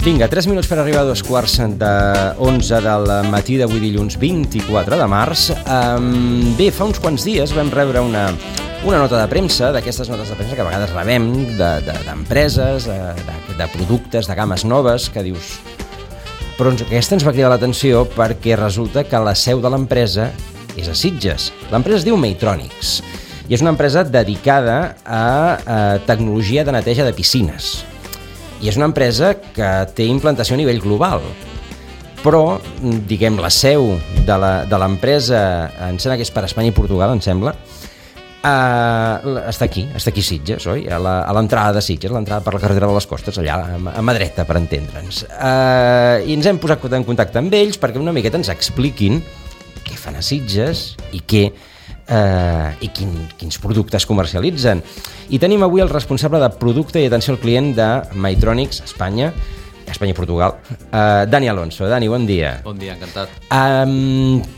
Vinga, 3 minuts per arribar a 2:15 del matí d'avui dilluns 24 de març. Bé, fa uns quants dies vam rebre una nota de premsa, d'aquestes notes de premsa que a vegades rebem d'empreses, de productes, de games noves, que dius... Però aquesta ens va cridar l'atenció perquè resulta que la seu de l'empresa és a Sitges. L'empresa es diu Maytronics i és una empresa dedicada a tecnologia de neteja de piscines. I és una empresa que té implantació a nivell global, però, diguem, la seu de l'empresa, em sembla que és per Espanya i Portugal, em sembla, està aquí a Sitges, oi? A l'entrada de Sitges, l'entrada per la carretera de les Costes, allà a mà dreta, per entendre'ns. I ens hem posat en contacte amb ells perquè una miqueta ens expliquin què fan a Sitges i quins productes comercialitzen. I tenim avui el responsable de producte i atenció al client de Maytronics Espanya i Portugal, Dani Alonso. Dani, bon dia. Bon dia, encantat.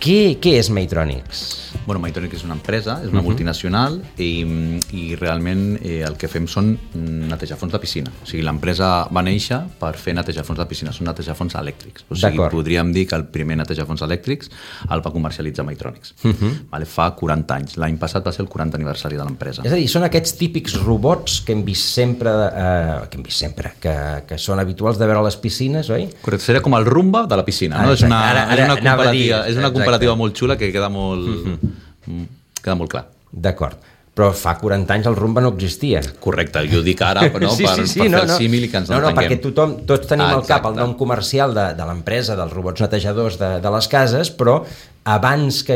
Què és Maytronics? Bueno, Maytronics és una empresa, és una multinacional i realment el que fem són netejafons de piscina. O sigui, l'empresa va néixer per fer netejafons de piscina, són netejafons elèctrics. O sigui, podríem dir que el primer netejafons elèctrics el va comercialitzar Maytronics. Vale, fa 40 anys. L'any passat va ser el 40 aniversari de l'empresa. És a dir, són aquests típics robots que hem vist sempre, que són habituals de veure a les piscines, oi? Correcte, seria com el Rumba de la piscina, no? És una comparativa molt xula que queda molt clar. D'acord. Però fa 40 anys el Rumba no existia. Correcte, jo dic ara per fer el símil i que ens entenguem. No, perquè tots tenim al cap el nom comercial de l'empresa, dels robots netejadors de les cases, però abans que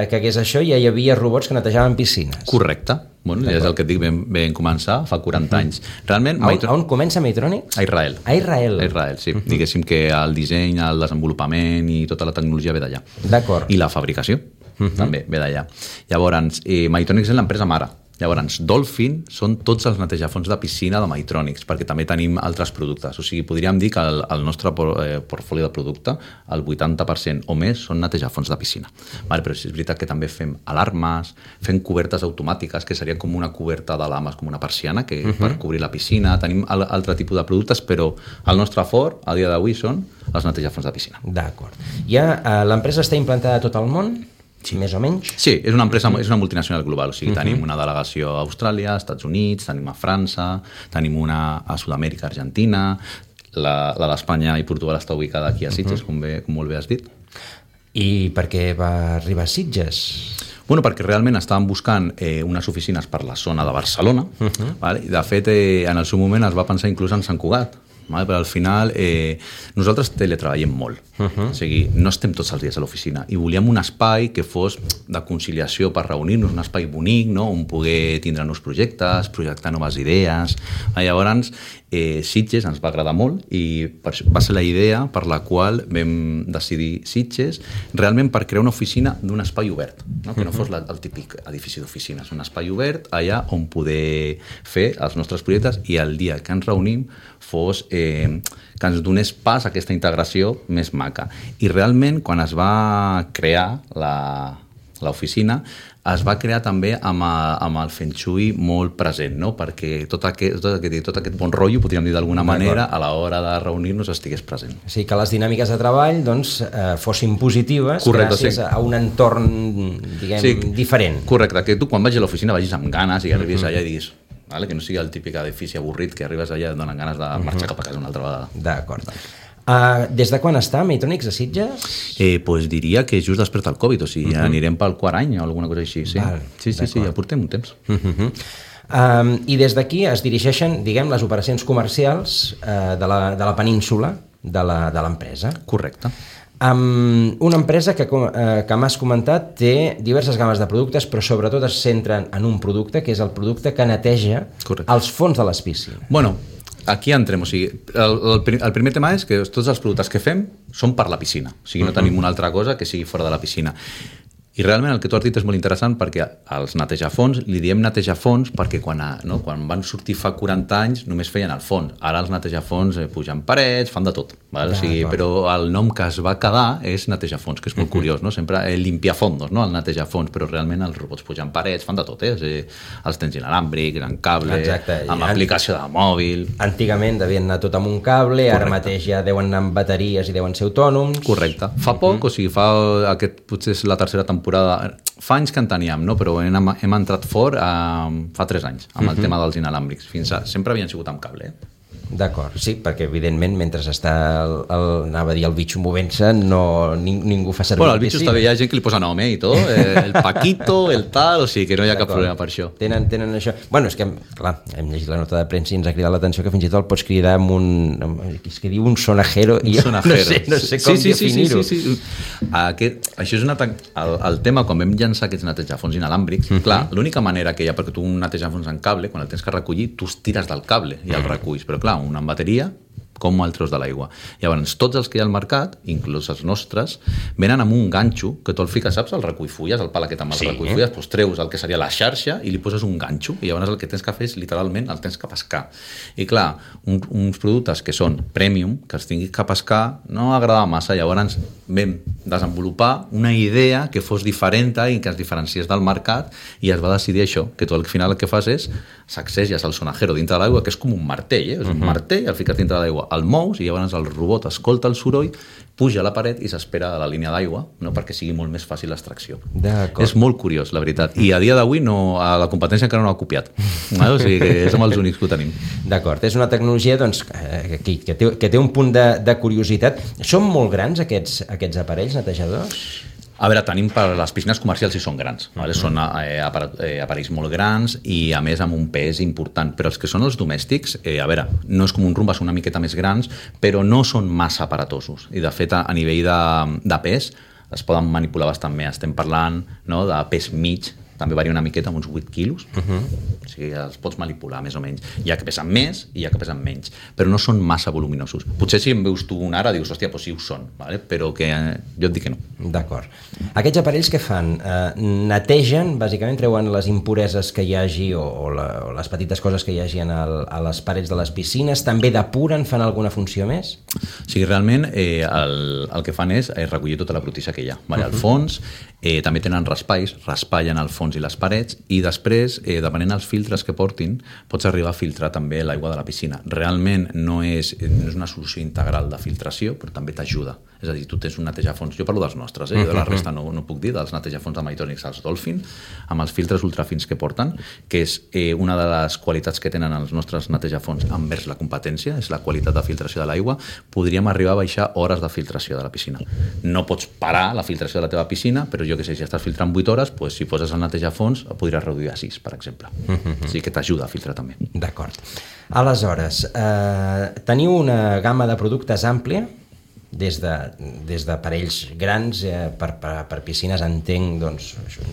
hagués això ja hi havia robots que netejaven piscines. Correcte. Bueno, ja és el que et dic, vam començar fa 40 anys. Realment, on comença Maytronics? A Israel. A Israel, sí. Diguéssim que el disseny, el desenvolupament i tota la tecnologia ve d'allà. D'acord. I la fabricació també ve d'allà. Llavors, Maytronics és l'empresa mare. Llavors, Dolphin són tots els netejafons de piscina de Maytronics, perquè també tenim altres productes. O sigui, podríem dir que el nostre portfoli de producte, el 80% o més són netejafons de piscina. Vale, però és veritat que també fem alarmes, fem cobertes automàtiques, que serien com una coberta d'alarmes, com una persiana, que per cobrir la piscina. Tenim altre tipus de productes, però el nostre fort, a dia d'avui, són els netejafons de piscina. D'acord. L'empresa està implantada a tot el món? Sí. Més o menys? Sí, és una empresa, és una multinacional global, o sigui, tenim una delegació a Austràlia, als Estats Units, tenim a França, tenim una a Sud-amèrica, Argentina, la d'Espanya i Portugal està ubicada aquí a Sitges, com molt bé has dit. I per què va arribar a Sitges? Bueno, perquè realment estàvem buscant unes oficines per la zona de Barcelona, vale? De fet, en el seu moment es va pensar inclús en Sant Cugat, però al final nosaltres teletreballem molt, o sigui, no estem tots els dies a l'oficina i volíem un espai que fos de conciliació per reunir-nos, un espai bonic, no? On poder tindre nous projectes, projectar noves idees. Llavors Sitges ens va agradar molt i va ser la idea per la qual vam decidir Sitges realment per crear una oficina d'un espai obert, no? Que no fos el típic edifici d'oficines, un espai obert allà on poder fer els nostres projectes i el dia que ens reunim fos que ens donés pas a aquesta integració més maca. I realment, quan es va crear l'oficina, es va crear també amb el Feng Shui molt present, no? Perquè tot aquest bon rotllo, podríem dir d'alguna manera, a l'hora de reunir-nos estigués present. O sigui, que les dinàmiques de treball fossin positives gràcies a un entorn, diguem, diferent. Correcte, que tu quan vagis a l'oficina vagis amb ganes i arribis allà i diguis, que no sigui el típic edifici avorrit que arribes allà i et donen ganes de marxar cap a casa una altra vegada. D'acord. Des de quan està Maytronics a Sitges? Doncs diria que just després del Covid, o sigui, anirem pel quart any o alguna cosa així. Sí, ja portem un temps. I des d'aquí es dirigeixen, diguem, les operacions comercials de la península de l'empresa. Correcte. Una empresa que m'has comentat té diverses games de productes, però sobretot es centren en un producte, que és el producte que neteja els fons de les piscines. Bueno, aquí entrem, o sigui, el primer tema és que tots els productes que fem són per la piscina, o sigui, no tenim una altra cosa que sigui fora de la piscina. I realment el que tu has dit és molt interessant perquè als netejafons, li diem netejafons perquè quan van sortir fa 40 anys només feien el fons. Ara els netejafons pugen parets, fan de tot. Val? O sigui, però el nom que es va quedar és netejafons, que és molt curiós, no? Sempre limpiafondos, no? El netejafons, però realment els robots pugen parets, fan de tot, O sigui, els tens inalàmbrics, en cable, amb aplicació de mòbil. Antigament devien anar tot amb un cable, ara mateix ja deuen anar amb bateries i deuen ser autònoms. Correcte. Fa poc, o sigui, potser és la tercera temporada, fa anys que en teníem, no? Però hem entrat fort fa 3 anys amb el tema dels inalàmbrics. Sempre havien sigut amb cable. D'acord, sí, perquè evidentment mentre està anava a dir el bitxo movent-se ningú fa servir. Bueno, el bitxo està bé, hi ha gent que li posa nom, i tot, el Paquito, el tal, o sigui que no hi ha cap problema per això. Tenen això. Bueno, és que, clar, hem llegit la nota de premsa i ens ha cridat l'atenció que fins i tot el pots cridar amb és que diu un sonajero i no sé com definir-ho. Sí. Això és el tema, quan vam llançar aquests netejafons inalàmbrics, clar, l'única manera que hi ha perquè tu un netejafons en cable, quan el tens que recollir, tu tires del cable i el reculls, però clar, una bateria, com el treus de l'aigua. Llavors, tots els que hi ha al mercat, inclús els nostres, venen amb un ganxo que tu el fiques, saps, el recull-fulles, el pal aquest amb el recull-fulles, doncs treus el que seria la xarxa i li poses un ganxo, i llavors el que tens que fer és, literalment, el tens que pescar. I clar, uns productes que són premium, que els tinguis que pescar, no agrada massa. Llavors vam desenvolupar una idea que fos diferent i que es diferenciés del mercat, i es va decidir això, que tu al final el que fas és sacseges el sonajero dintre de l'aigua, que és com un martell, és un martell, el fiques dintre de l'aigua, el mous, i llavors el robot escolta el soroll, puja a la paret i s'espera a la línia d'aigua, no? Perquè sigui molt més fàcil l'extracció. És molt curiós, la veritat. I a dia d'avui la competència encara no l'ha copiat. O sigui que som els únics que ho tenim. D'acord, és una tecnologia doncs, que té un punt de curiositat. Són molt grans aquests aparells netejadors? A veure, tenim per les piscines comercials i són grans, vale? Són aparells molt grans i a més amb un pes important, però els que són els domèstics, a veure, no és com un Roomba, són una miqueta més grans, però no són massa aparatosos, i de fet a nivell de pes es poden manipular bastant bé. Estem parlant, no, de pes mig, també varia una miqueta, amb uns 8 quilos, o sigui, els pots manipular més o menys. Hi ha que pesen més i hi ha que pesen menys, però no són massa voluminosos. Potser si em veus tu un ara dius, hòstia, doncs sí ho són, vale? Però que jo et dic que no. D'acord. Aquests aparells què fan? Netegen, bàsicament treuen les impureses que hi hagi o les petites coses que hi hagi a les parets de les piscines, també depuren, fan alguna funció més? O sigui, realment el que fan és recollir tota la brutícia que hi ha. Vale? Al fons també tenen raspallen el fons i les parets, i després, depenent dels filtres que portin, pots arribar a filtrar també l'aigua de la piscina. Realment no és una solució integral de filtració, però també t'ajuda. És a dir, tu tens un netejafons, jo parlo dels nostres, jo de la resta no puc dir, dels netejafons de Maytonics, els Dolphin, amb els filtres ultrafins que porten, que és una de les qualitats que tenen els nostres netejafons envers la competència, és la qualitat de filtració de l'aigua. Podríem arribar a baixar hores de filtració de la piscina. No pots parar la filtració de la teva piscina, però jo que sé, si estàs filtrant 8 hores, doncs, si poses el netejafons, podries reduir a 6, per exemple. O sigui que t'ajuda a filtrar també. D'acord. Aleshores, teniu una gamma de productes àmplia, des d'aparells grans per piscines, entenc, doncs...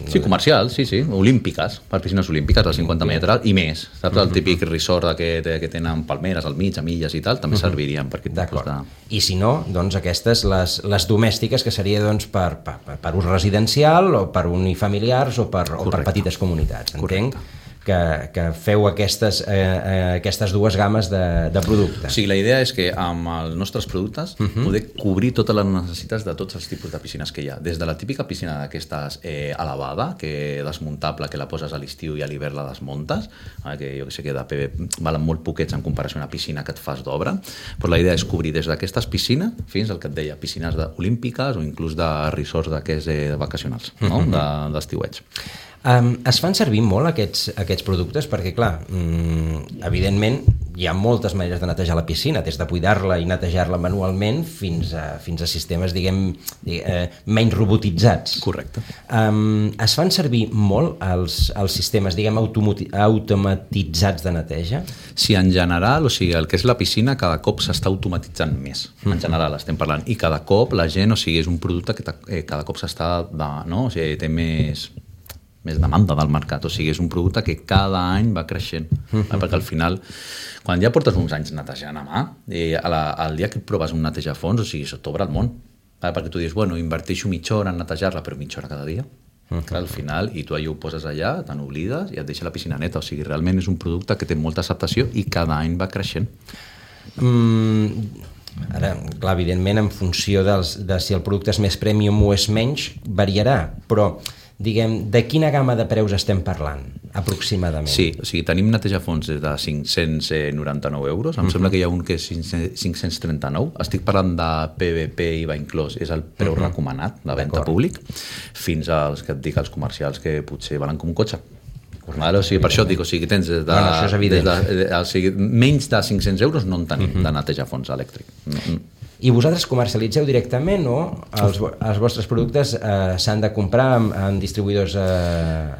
Sí, comercials, sí, olímpiques, per piscines olímpiques de 50 metres i més. Saps? El típic resort que tenen palmeres al mig, amilles i tal, també servirien per aquest tipus de... I si no, doncs aquestes, les domèstiques, que seria doncs, per ús residencial o per unifamiliars o per petites comunitats, entenc? Que feu aquestes dues gammes de productes. O sigui, la idea és que amb els nostres productes poder cobrir totes les necessitats de tots els tipus de piscines que hi ha. Des de la típica piscina d'aquestes elevada, que desmuntable, que la poses a l'estiu i a l'hivern la desmuntes, que jo que sé que de PV valen molt poquets en comparació a una piscina que et fas d'obra, però la idea és cobrir des d'aquestes piscines fins al que et deia, piscines olímpiques o inclús de resorts d'aquests vacacionals, no? D'estiuets. Es fan servir molt aquests productes perquè, clar, evidentment hi ha moltes maneres de netejar la piscina, des de cuidar-la i netejar-la manualment fins a sistemes, diguem, menys robotitzats. Correcte. Es fan servir molt els sistemes, diguem, automatitzats de neteja? Sí, en general, o sigui, el que és la piscina cada cop s'està automatitzant més. En general estem parlant. I cada cop la gent, o sigui, és un producte que cada cop s'està, no? O sigui, té més demanda del mercat, o sigui, és un producte que cada any va creixent, perquè al final, quan ja portes uns anys netejant a mà, el dia que proves un netejafons, o sigui, se t'obre el món, perquè tu dius, bueno, inverteixo mitja hora en netejar-la, però mitja hora cada dia, Clar, al final, i tu allò ho poses allà, te n'oblides i et deixa la piscina neta. O sigui, realment és un producte que té molta acceptació i cada any va creixent. Ara, clar, evidentment, en funció de si el producte és més premium o és menys, variarà, però diguem, de quina gamma de preus estem parlant, aproximadament? Sí, o sigui, tenim netejafons des de 599 euros, em sembla que hi ha un que és 539, estic parlant de PVP i IVA inclòs, és el preu recomanat de venda públic, fins als, que et dic, als comercials que potser valen com un cotxe. Vale, o sigui, per això et dic, o sigui, tens des de, això és evident. o sigui, menys de 500 euros no en tenim de netejafons elèctric. I vosaltres comercialitzeu directament o els vostres productes s'han de comprar en distribuïdors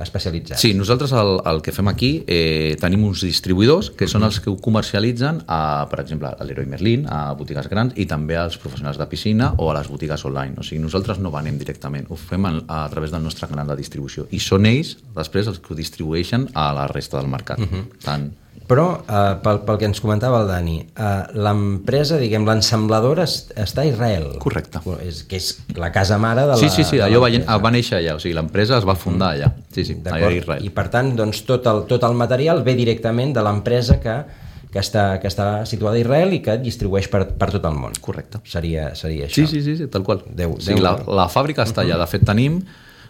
especialitzats? Sí, nosaltres el que fem aquí tenim uns distribuïdors que són els que ho comercialitzen per exemple, a l'Heroi Merlin, a botigues grans i també als professionals de piscina o a les botigues online. O sigui, nosaltres no venem directament, ho fem a través del nostre canal de distribució i són ells després els que ho distribueixen a la resta del mercat. Però, pel que ens comentava el Dani, l'empresa, diguem, l'ensambladora està a Israel. Correcte. Que és la casa mare de la... Sí, allò va néixer allà, o sigui, l'empresa es va fundar allà. Sí, allà a Israel. I per tant, doncs, tot el material ve directament de l'empresa que està situada a Israel i que distribueix per tot el món. Correcte. Seria això. Sí, tal qual. O sigui, la fàbrica està allà. De fet, tenim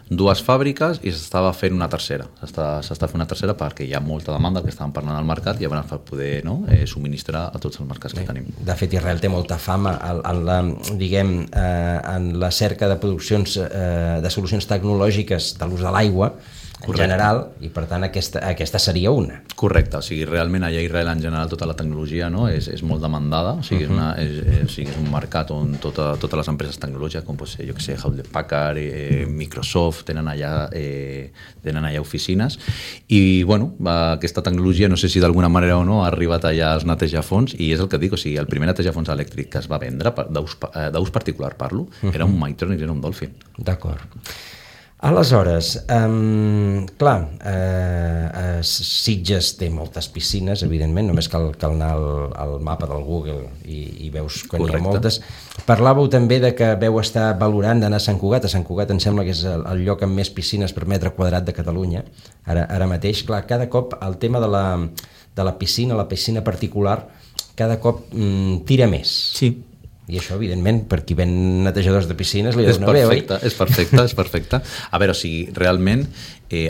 dues fàbriques i s'estava fent una tercera. S'està fent una tercera perquè hi ha molta demanda que estàvem parlant al mercat i llavors per poder subministrar a tots els mercats que tenim. De fet, Israel té molta fama en la cerca de produccions de solucions tecnològiques de l'ús de l'aigua en general, i per tant aquesta seria una. Correcte, o sigui, realment allà a Israel en general tota la tecnologia és molt demandada, o sigui, és un mercat on totes les empreses tecnològiques, com pot ser, jo que sé, Hewlett Packard, Microsoft, tenen allà oficines, i bueno, aquesta tecnologia, no sé si d'alguna manera o no, ha arribat allà als netejafons, i és el que dic, o sigui, el primer netejafons elèctric que es va vendre, d'ús particular parlo, era un Maytronics, era un Dolphin. D'acord. Aleshores, clar, Sitges té moltes piscines, evidentment, només cal anar al mapa del Google i veus que n'hi ha moltes. Parlàveu també de que veu estar valorant d'anar a Sant Cugat. A Sant Cugat em sembla que és el lloc amb més piscines per metre quadrat de Catalunya, ara mateix. Clar, cada cop el tema de la piscina particular, cada cop tira més. Sí. I això, evidentment, per qui ven netejadors de piscines li dona bé, oi? És perfecte. A veure, o sigui, realment,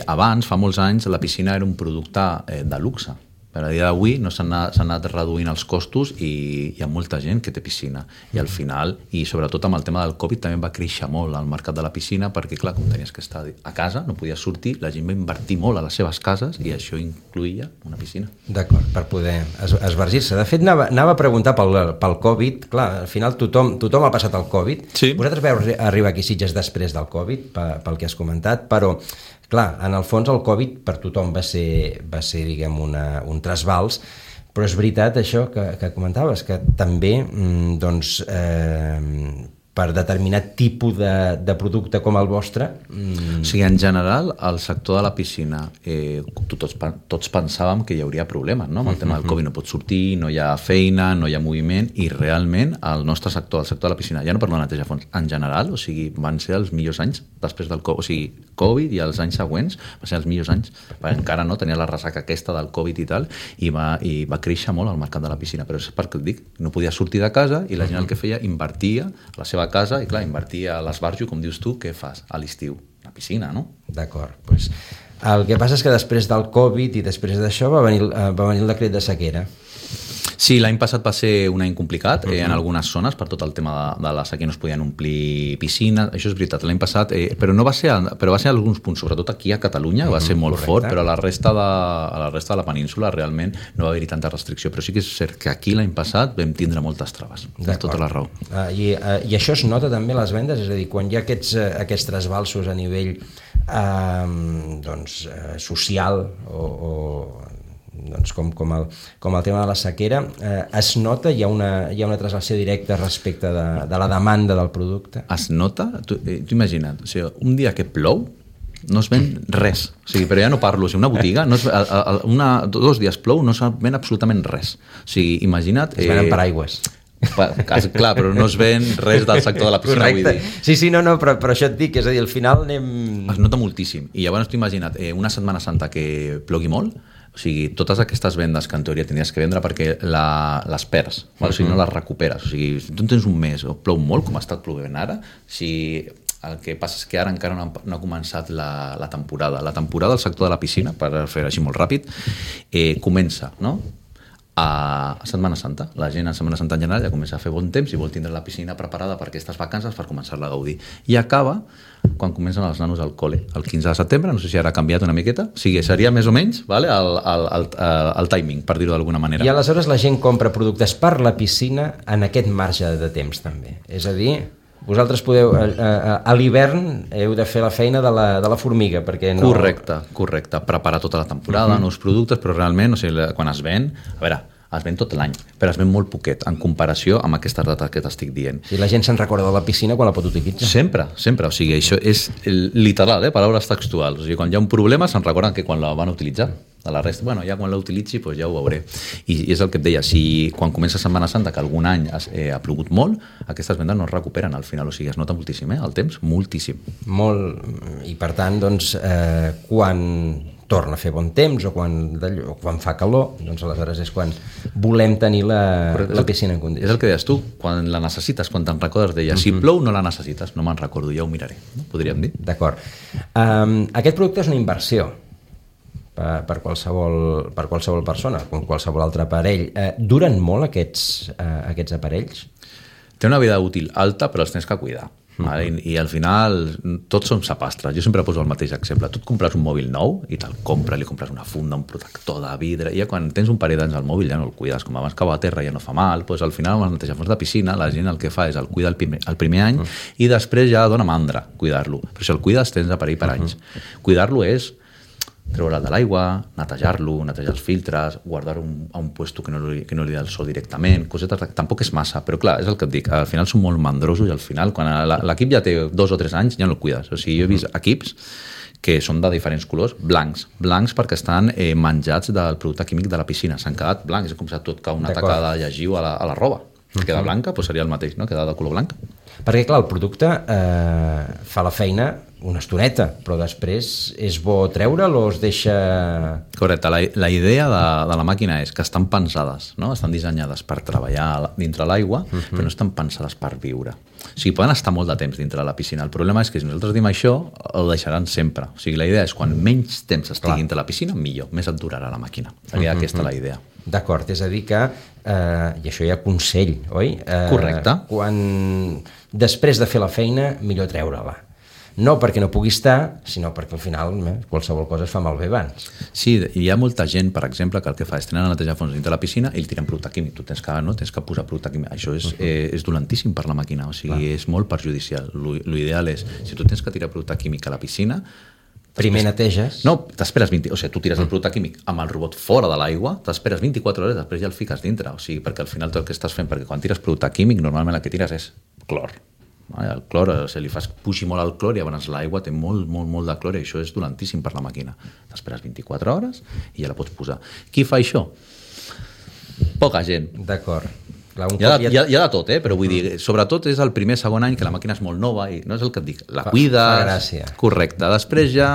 abans, fa molts anys, la piscina era un producte de luxe. Per a dia d'avui no s'han anat reduint els costos i hi ha molta gent que té piscina. I al final, i sobretot amb el tema del Covid, també va créixer molt el mercat de la piscina perquè, clar, com tenies que estar a casa, no podies sortir, la gent va invertir molt a les seves cases i això incluïa una piscina. D'acord, per poder esvergir-se. De fet, anava a preguntar pel Covid. Clar, al final tothom ha passat el Covid. Sí. Vosaltres veu arribar aquí a Sitges després del Covid, pel que has comentat, però clar, en el fons el Covid per tothom va ser diguem, un trasbals, però és veritat això que comentaves, que també doncs, per determinat tipus de producte com el vostre... O sigui, en general, el sector de la piscina, tots pensàvem que hi hauria problemes, no? Amb el tema del Covid no pots sortir, no hi ha feina, no hi ha moviment, i realment el nostre sector, el sector de la piscina, ja no parlo de netejafons, en general, o sigui, van ser els millors anys després del Covid, o sigui, Covid i els anys següents van ser els millors anys, perquè encara no tenia la ressaca aquesta del Covid i tal, i va créixer molt el mercat de la piscina, però és perquè et dic, no podia sortir de casa i la gent el que feia, invertia a la seva casa i clar, invertia a l'esbarjo, com dius tu, què fas a l'estiu? La piscina, no? D'acord, doncs el que passa és que després del Covid i després d'això va venir el decret de sequera. Sí, l'any passat va ser un any complicat en algunes zones per tot el tema de la sequera, no es podien omplir piscines, això és veritat, l'any passat, però va ser a alguns punts, sobretot aquí a Catalunya, va ser molt fort, però a la resta de la península realment no va haver-hi tanta restricció, però sí que és cert que aquí l'any passat vam tindre moltes traves, és tota la raó. I això es nota també a les vendes, és a dir, quan hi ha aquests trasbalsos a nivell social o doncs com el tema de la sequera, es nota, hi ha una translació directa respecte de la demanda del producte? Es nota? Tu imagina't, o sigui, un dia que plou no es ven res, o sigui, però ja no parlo, o sigui, una botiga, 2 dies plou, no es ven absolutament res, o sigui, imagina't... Es venen paraigües. Clar, però no es ven res del sector de la piscina. Correcte. Sí, no, però això et dic, és a dir, al final anem... Es nota moltíssim. I llavors t'ho imagina't, una Setmana Santa que plogui molt, o sigui, totes aquestes vendes que en teoria tindries que vendre perquè les perds, o sigui, no les recuperes. O sigui, si tu tens un mes o plou molt, com ha estat plovent ara, si el que passa és que ara encara no ha començat la temporada. La temporada del sector de la piscina, per fer així molt ràpid, comença, no?, a Setmana Santa. La gent a Setmana Santa en general ja comença a fer bon temps i vol tindre la piscina preparada per aquestes vacances per començar-la a gaudir. I acaba quan comencen els nanos al col·le, el 15 de setembre, no sé si ara ha canviat una miqueta, o sigui, seria més o menys, vale, el timing, per dir-ho d'alguna manera. I aleshores la gent compra productes per la piscina en aquest marge de temps també. És a dir, vosaltres podeu, a l'hivern heu de fer la feina de la formiga, perquè no... Correcte. Preparar tota la temporada, nous productes, però realment, o sigui, quan es ven, a veure, es ven tot l'any, però es ven molt poquet en comparació amb aquestes dates que t'estic dient. I la gent se'n recorda de la piscina quan la pot utilitzar. Sempre, o sigui, això és literal, paraules textuals. O sigui, quan hi ha un problema se'n recorden que quan la van utilitzar. De la resta, bueno, ja quan la utilitzi doncs ja ho veuré. I és el que et deia, si quan comença Setmana Santa, que algun any ha plogut molt, aquestes vendes no es recuperen al final, o sigui, es nota moltíssim, el temps, moltíssim. Molt, i per tant, doncs, quan torna a fer bon temps o quan fa calor, doncs aleshores és quan volem tenir la piscina en condicions. És el que deies tu, quan la necessites, quan te'n recordes d'ella. Si plou no la necessites, no me'n recordo, ja ho miraré, no? Podríem dir. D'acord. Aquest producte és una inversió per qualsevol persona, com qualsevol altre aparell. Duren molt aquests aparells? Té una vida útil alta, però els tens que cuidar. I al final tots som sapastres. Jo sempre poso el mateix exemple. Tu et compres un mòbil nou i te'l compres, li compres una funda, un protector de vidre, i ja quan tens un parell d'anys al mòbil ja no el cuides, com abans cau a terra ja no fa mal, doncs al final amb els netejafons de piscina la gent el que fa és el cuida el primer any i després ja dona mandra cuidar-lo, però si el cuides tens aparell per anys. Cuidar-lo és treure'l de l'aigua, netejar-lo, netejar els filtres, guardar-ho a un puesto que no li da el sol directament, cosetes, tampoc és massa, però clar, és el que et dic, al final són molt mandrosos i al final, quan l'equip ja té 2 o 3 anys, ja no el cuides. O sigui, jo he vist equips que són de diferents colors, blancs perquè estan menjats del producte químic de la piscina, s'han quedat blancs, és com si tot cau una taca de llegiu a la roba. Queda blanca, doncs seria el mateix, no? Queda de color blanc. Perquè, clar, el producte fa la feina una estoneta, però després és bo treure'l o es deixa... Correcte, la idea de la màquina és que estan pensades, no? Estan dissenyades per treballar dintre l'aigua, però no estan pensades per viure. O sigui, poden estar molt de temps dintre de la piscina. El problema és que si nosaltres diem això, ho deixaran sempre. O sigui, la idea és quan menys temps estigui dintre la piscina, millor, més et durarà la màquina. Seria aquesta la idea. D'acord, és a dir que, i això hi ha consell, oi? Correcte. Després de fer la feina, millor treure-la. No perquè no pugui estar, sinó perquè al final qualsevol cosa es fa malbé abans. Sí, hi ha molta gent, per exemple, que el que fa és tenen a netejar fons dintre la piscina i el tiren producte químic. Tu tens que posar producte químic. Això és dolentíssim per la màquina, o sigui, és molt perjudicial. L'ideal és, si tu tens que tirar producte químic a la piscina, primer neteges? No, t'esperes 20... O sigui, tu tires el producte químic amb el robot fora de l'aigua, t'esperes 24 hores, després ja el fiques dintre. O sigui, perquè al final tot el que estàs fent, perquè quan tires producte químic, normalment el que tires és clor. El clor, si li fas puixi molt al clor i llavors l'aigua té molt de clor i això és dolentíssim per la màquina. T'esperes 24 hores i ja la pots posar. Qui fa això? Poca gent. D'acord. Hi ha de tot, però vull dir, sobretot és el primer, segon any que la màquina és molt nova i no és el que et dic, la cuides... Fa gràcia. Correcte. Després ja...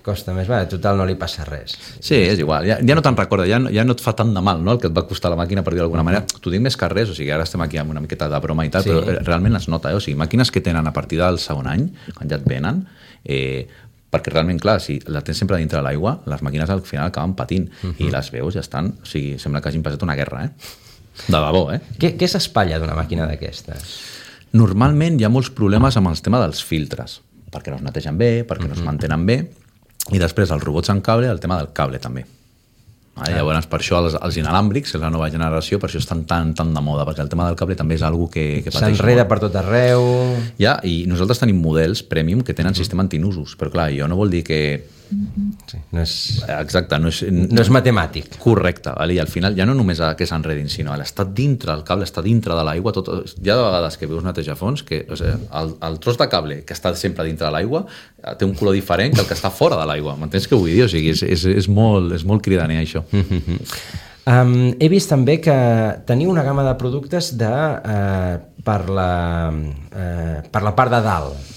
Costa més, total no li passa res. Sí, és igual, ja no te'n recorda, ja no et fa tant de mal, no?, el que et va costar la màquina, per dir d'alguna manera. T'ho dic més que res, o sigui, ara estem aquí amb una miqueta de broma i tal, però realment es nota, o sigui, màquines que tenen a partir del segon any, quan ja et venen, perquè realment, clar, si la tens sempre dintre de l'aigua, les màquines al final acaben patint, i les veus ja estan, o sigui, sembla que hagin passat una guerra, de debò, Què s'espatlla d'una màquina d'aquestes? Normalment hi ha molts problemes amb el tema dels filtres, perquè no es netegen bé, perquè no es mantenen bé, i després els robots en cable, el tema del cable també. Llavors, per això els inalàmbrics, és la nova generació, per això estan tan de moda, perquè el tema del cable també és una cosa que pateix molt. S'enreda per tot arreu... Ja, i nosaltres tenim models premium que tenen sistema antinusos, però clar, jo no vol dir que... Sí, no és... Exacte, no és matemàtic. Correcte, i al final ja no només que s'enredin, sinó l'estar dintre, el cable està dintre de l'aigua, hi ha de vegades que veus netejafons que el tros de cable que està sempre dintre de l'aigua té un color diferent que el que està fora de l'aigua, m'entens què vull dir? O sigui, és molt cridaner això. He vist també que teniu una gamma de productes per la part de dalt,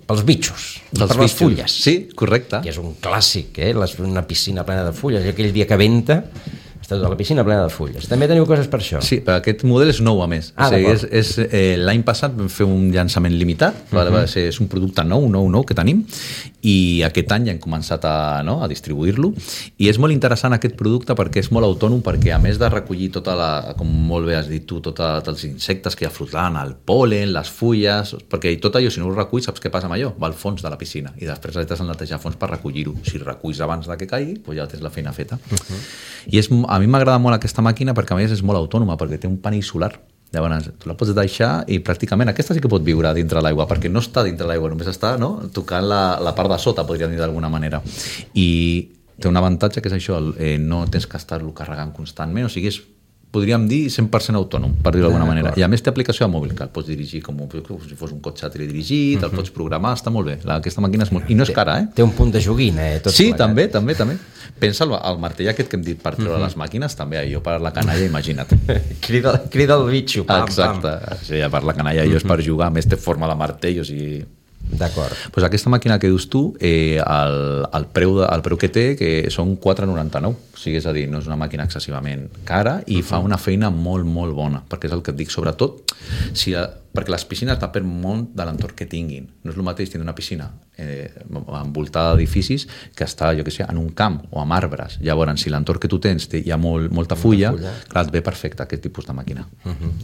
pels bitxos, per les fulles. Sí, correcte. Que és un clàssic, una piscina plena de fulles, i aquell dia que venta està tota la piscina plena de fulles. També teniu coses per això? Sí, però aquest model és nou a més. L'any passat vam fer un llançament limitat, és un producte nou que tenim, i aquest any ja hem començat a distribuir-lo, i és molt interessant aquest producte perquè és molt autònom, perquè a més de recollir com molt bé has dit tu, tots els insectes que hi ha flotant, el pol·len, les fulles, perquè tot allò, si no ho reculls, saps què passa amb allò? Va al fons de la piscina, i després has de netejar fons per recollir-ho. Si reculls abans de que caigui, doncs ja tens la feina feta. I a mi m'agrada molt aquesta màquina perquè a més és molt autònoma, perquè té un panell solar. Llavors, tu la pots deixar i pràcticament aquesta sí que pot viure dintre l'aigua, perquè no està dintre l'aigua, només està tocant la part de sota, podríem dir d'alguna manera. I té un avantatge que és això, no tens que estar-lo carregant constantment, o sigui, podríem dir 100% autònom, per dir-ho d'alguna manera. I a més té aplicació de mòbil, que el pots dirigir com si fos un cotxe teledirigit, el pots programar, està molt bé. Aquesta màquina és molt... I no és cara, Té un punt de joguina, Sí, també. Pensa el martell aquest que hem dit per treure les màquines, també, jo per la canalla, imagina't. Crida el bitxo, pam, exacte. Sí, per la canalla jo és per jugar, a més té forma de martell, o sigui... D'acord. Pues aquesta màquina que dius tu, el preu que té que són 4,99, o sigui, és a dir, no és una màquina excessivament cara i fa una feina molt, molt bona, perquè és el que et dic, sobretot perquè les piscines depèn molt de l'entorn que tinguin. No és el mateix tenir una piscina envoltada d'edificis que està, jo què sé, en un camp o amb arbres. Llavors, si l'entorn que tu tens hi ha molta fulla, clar, et ve perfecte aquest tipus de màquina.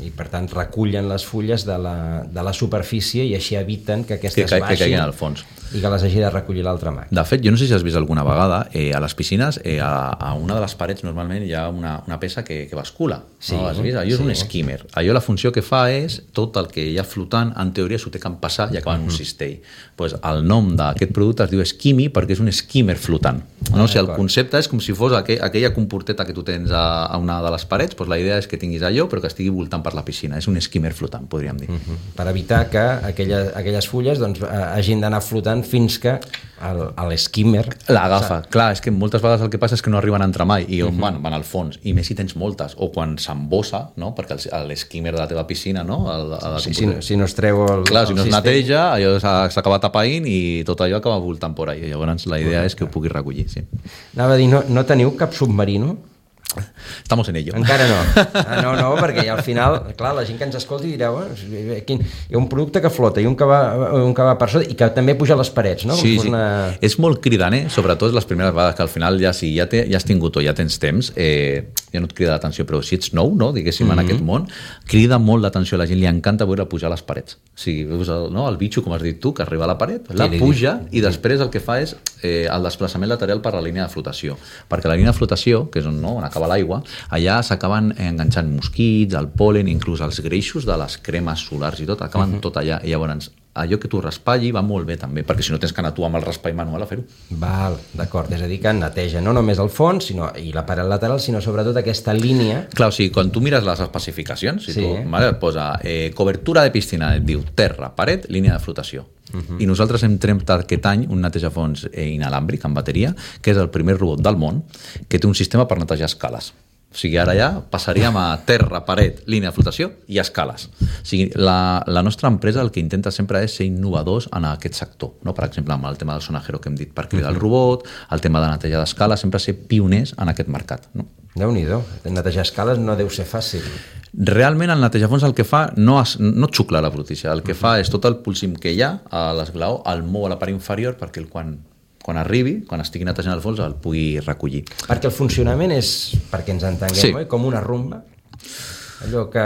I per tant recullen les fulles de la superfície i així eviten que aquestes baixin que caiguin al fons i que les hagi de recollir l'altra màquina. De fet, jo no sé si has vist alguna vegada a les piscines, a una de les parets normalment hi ha una peça que bascula. Sí, no? Has vist? Allò és un skimmer. Allò la funció que fa és tot el que hi ha flotant, en teoria s'ho té que empassar i acabar en un cistell. Pues el nom d'aquest producte es diu Skimmy perquè és un skimmer flotant. No? O sigui, el concepte és com si fos aquella comporteta que tu tens a una de les parets, pues la idea és que tinguis allò però que estigui voltant per la piscina. És un skimmer flotant, podríem dir. Per evitar que aquelles fulles hagin d'anar flotant fins que l'skimmer l'agafa. Clar, és que moltes vegades el que passa és que no arriben a entrar mai i van al fons, i més si tens moltes, o quan s'embossa, no? Perquè l'skimmer de la teva piscina, no? Si no es treu clar, si no es neteja, allò s'acaba tapaint i tot allò acaba voltant por ahí. Llavors la idea és que ho puguis recollir. Sí. Anava a dir, no teniu cap submarino? Estamos en ello. Encara no. No, perquè al final, clar, la gent que ens escolti dirà, hi ha un producte que flota i un que va per sota i que també puja a les parets, no? Sí. És molt cridant, sobretot les primeres vegades, que al final ja has tingut o ja tens temps, ja no et crida l'atenció, però si ets nou, no, diguéssim, en aquest món, crida molt l'atenció a la gent, li encanta veure pujar a les parets. O sigui, veus el bitxo, com has dit tu, que arriba a la paret, la puja i després el que fa és el desplaçament lateral per la línia de flotació, perquè la línia de flotació, que és on acaba l'aigua, allà s'acaben enganxant mosquits, el pol·len, inclús els greixos de les cremes solars i tot, acaben tot allà. I llavors, allò que tu raspalli va molt bé també, perquè si no tens que anar tu amb el raspall manual a fer-ho. Val, d'acord, és a dir que neteja no només el fons i la paret lateral, sinó sobretot aquesta línia. Clar, o sigui, quan tu mires les especificacions, si tu et posa cobertura de piscina, et diu terra, paret, línia de flotació. I nosaltres hem tret aquest any un netejafons inalàmbric amb bateria, que és el primer robot del món que té un sistema per netejar escales. O sigui, ara ja passaríem a terra, paret, línia de flotació i escales. O sigui, la nostra empresa el que intenta sempre és ser innovadors en aquest sector, no? Per exemple, amb el tema del sonajero que hem dit per cridar el robot, el tema de netejar d'escales, sempre ser pioners en aquest mercat, no? Déu-n'hi-do, netejar escales no deu ser fàcil. Realment el netejafons el que fa no xucla la brutícia, el que fa és tot el polsim que hi ha a l'esglaó, el mou a la part inferior perquè quan arribi, quan estigui netejant el fons, el pugui recollir. Perquè el funcionament és, perquè ens entenguem, com una rumba? Allò que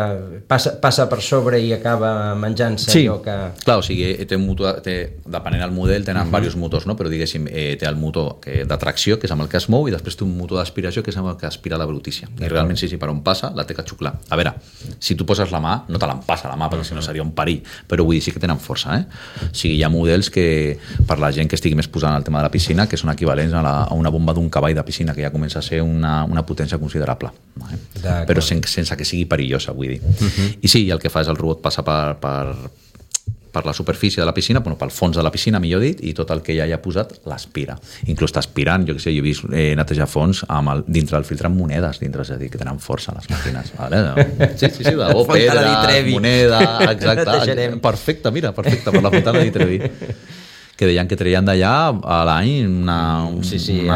passa per sobre i acaba menjant-se allò que... Clar, o sigui, té un motor, depenent del model, tenen diversos motors, no? Però diguéssim, té el motor de tracció, que és amb el que es mou, i després té un motor d'aspiració, que és amb el que aspira la brutícia. I realment, sí, per on passa, la té que xuclar. A veure, si tu poses la mà, no te l'empassa la mà, perquè si no seria un perill, però vull dir, sí que tenen força, O sigui, hi ha models que, per la gent que estigui més posant el tema de la piscina, que són equivalents a una bomba d'un cavall de piscina, que ja comença a ser una potència considerable. Però sense que sigui perillosa, vull dir. I sí, el que fa és el robot passa per la superfície de la piscina, bueno, pel fons de la piscina, millor dit, i tot el que ja hi ha posat l'aspira. Inclús està aspirant, jo he vist netejar fons dintre del filtre amb monedes, dintre, és a dir, que tenen força les màquines. Vale? Sí, de bo, pedres, moneda, exacte. Perfecte, mira, perfecte, per la Fontana di Trevi. Que deien que treien d'allà a l'any una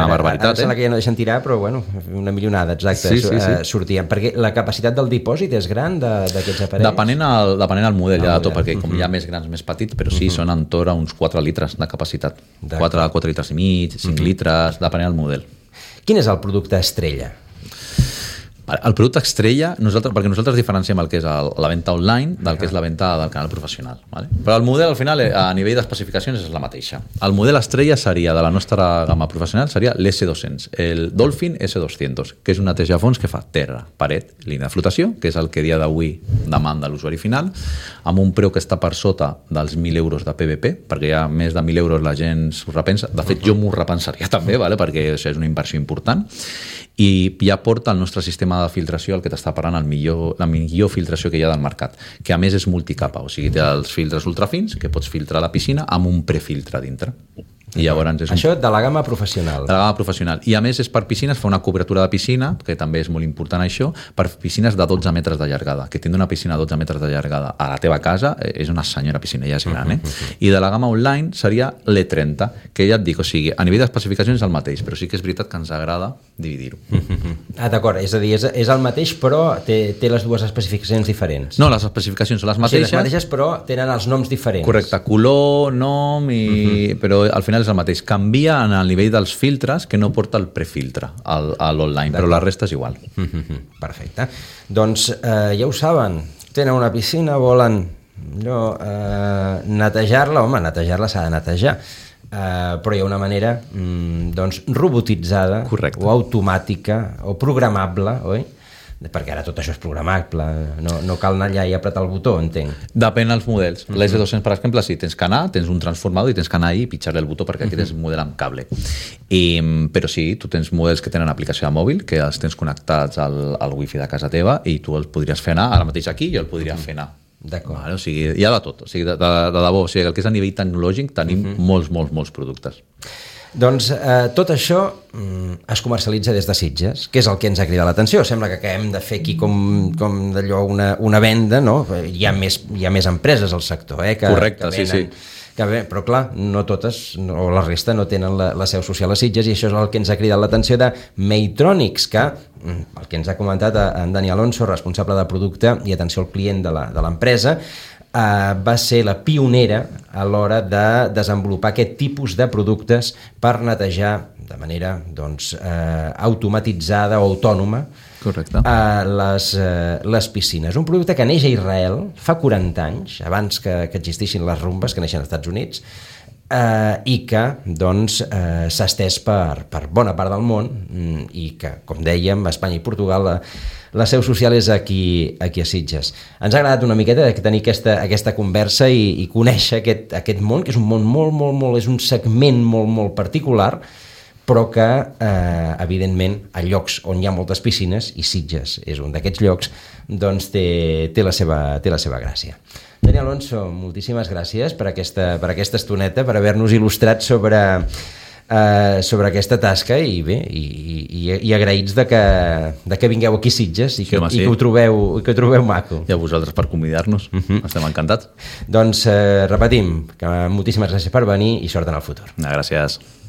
barbaritat. Ara sembla que ja no deixen tirar, però bueno, una milionada, exacte, sortien. Perquè la capacitat del dipòsit és gran d'aquests aparells? Depenent del model, ja de tot, perquè com hi ha més grans, més petits, però sí, són entorn a uns 4 litres de capacitat. 4 litres i mig, 5 litres, depenent del model. Quin és el producte estrella? El producte estrella, perquè nosaltres diferenciem el que és la venda online del que és la venda del canal professional. Vale? Però el model, al final, a nivell d'especificacions, és la mateixa. El model estrella seria, de la nostra gamma professional, seria l'S200, el Dolphin S200, que és un netejafons que fa terra, paret, línia de flotació, que és el que a dia d'avui demanda l'usuari final, amb un preu que està per sota dels 1.000 euros de PVP, perquè ja més de 1.000 euros la gent s'ho repensa. De fet, jo m'ho repensaria també, vale? Perquè això és una inversió important. I ja porta el nostre sistema de filtració el que t'està parlant la millor filtració que hi ha del mercat, que a més és multicapa, o sigui, té els filtres ultrafins que pots filtrar la piscina amb un prefiltre dintre. I llavors és això de la gamma professional. De la gamma professional. I a més és per piscines, fa una cobertura de piscina, que també és molt important això, per piscines de 12 metres de llargada. Que tindre una piscina de 12 metres de llargada a la teva casa és una senyora piscina, ja és gran, I de la gamma online seria l'E30, que ja et dic, o sigui, a nivell d'especificacions és el mateix, però sí que és veritat que ens agrada dividir-ho. D'acord, és a dir, és el mateix, però té les dues especificacions diferents. No, les especificacions són les mateixes. Sí, les mateixes, però tenen els noms diferents. Correcte, color, nom, però al final és el mateix. Canvia en el nivell dels filtres que no porta el prefiltre a l'online, però la resta és igual. Perfecte. Doncs ja ho saben, tenen una piscina, volen netejar-la, home, netejar-la s'ha de netejar, però hi ha una manera robotitzada o automàtica o programable, oi? Perquè ara tot això és programable, no cal anar allà i apretar el botó, entenc. Depèn dels models. L'S200, per exemple, sí, tens que anar, tens un transformador i tens que anar i pitjar-li el botó perquè aquest és un model amb cable. Però sí, tu tens models que tenen aplicació de mòbil, que els tens connectats al wifi de casa teva i tu els podries fer anar, ara mateix aquí jo el podria fer anar. D'acord. Vale, o sigui, hi ha de tot, o sigui, de debò, o sigui, el que és a nivell tecnològic tenim molts productes. Doncs tot això es comercialitza des de Sitges, que és el que ens ha cridat l'atenció. Sembla que acabem de fer aquí com d'allò una venda, no? Hi ha més empreses al sector, correcte, sí. Però clar, no totes, o la resta no tenen la seu social a Sitges, i això és el que ens ha cridat l'atenció de Maytronics, que, el que ens ha comentat en Dani Alonso, responsable de producte i atenció al client de l'empresa, va ser la pionera a l'hora de desenvolupar aquest tipus de productes per netejar de manera automatitzada o autònoma les piscines. Un producte que neix a Israel fa 40 anys, abans que existissin les rumbes que neixen als Estats Units, i que s'ha estès per bona part del món, i que, com dèiem, Espanya i Portugal la seu social és aquí a Sitges. Ens ha agradat una miqueta tenir aquesta conversa i conèixer aquest món, que és un món molt, és un segment molt particular, però que, evidentment, a llocs on hi ha moltes piscines, i Sitges és un d'aquests llocs, doncs té la seva gràcia. Dani Alonso, moltíssimes gràcies per aquesta estoneta, per haver-nos il·lustrat sobre aquesta tasca, i bé, i agraïts de que vingueu aquí a Sitges i que ho trobeu maco. I a vosaltres per convidar-nos, estem encantats. Doncs repetim, que moltíssimes gràcies per venir i sort en el futur. Gràcies.